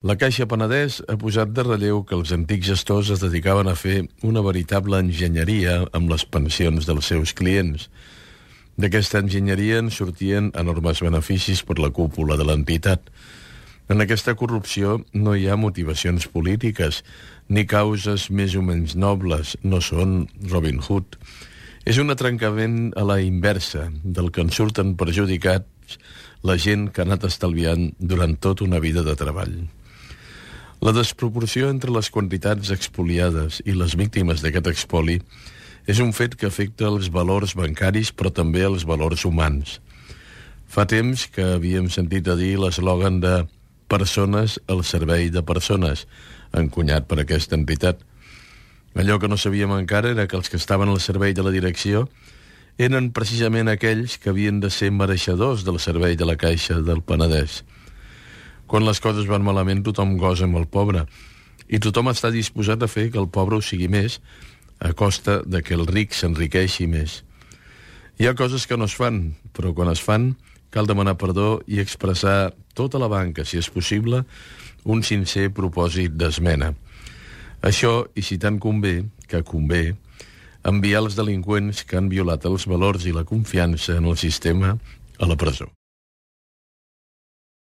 La Caixa Penedès ha posat de relleu que els antics gestors es dedicaven a fer una veritable enginyeria amb les pensions dels seus clients. D'aquesta enginyeria en sortien enormes beneficis per la cúpula de l'entitat. En aquesta corrupció no hi ha motivacions polítiques, ni causes més o menys nobles, no són Robin Hood. És un atrancament a la inversa, del que en surten perjudicats la gent que ha anat estalviant durant tota una vida de treball. La desproporció entre les quantitats expoliades i les víctimes d'aquest expoli és un fet que afecta els valors bancaris però també els valors humans. Fa temps que havíem sentit a dir l'eslògan de «persones al servei de persones», encunyat per aquesta entitat. Allò que no sabíem encara era que els que estaven al servei de la direcció eren precisament aquells que havien de ser mereixedors del servei de la Caixa del Penedès. Quan les coses van malament, tothom gosa amb el pobre, i tothom està disposat a fer que el pobre ho sigui més, a costa de que el ric s'enriqueixi més. Hi ha coses que no es fan, però quan es fan, cal demanar perdó i expressar tota la banca, si és possible, un sincer propòsit d'esmena. Això, i si tant convé, que convé, enviar els delinqüents que han violat els valors i la confiança en el sistema a la presó.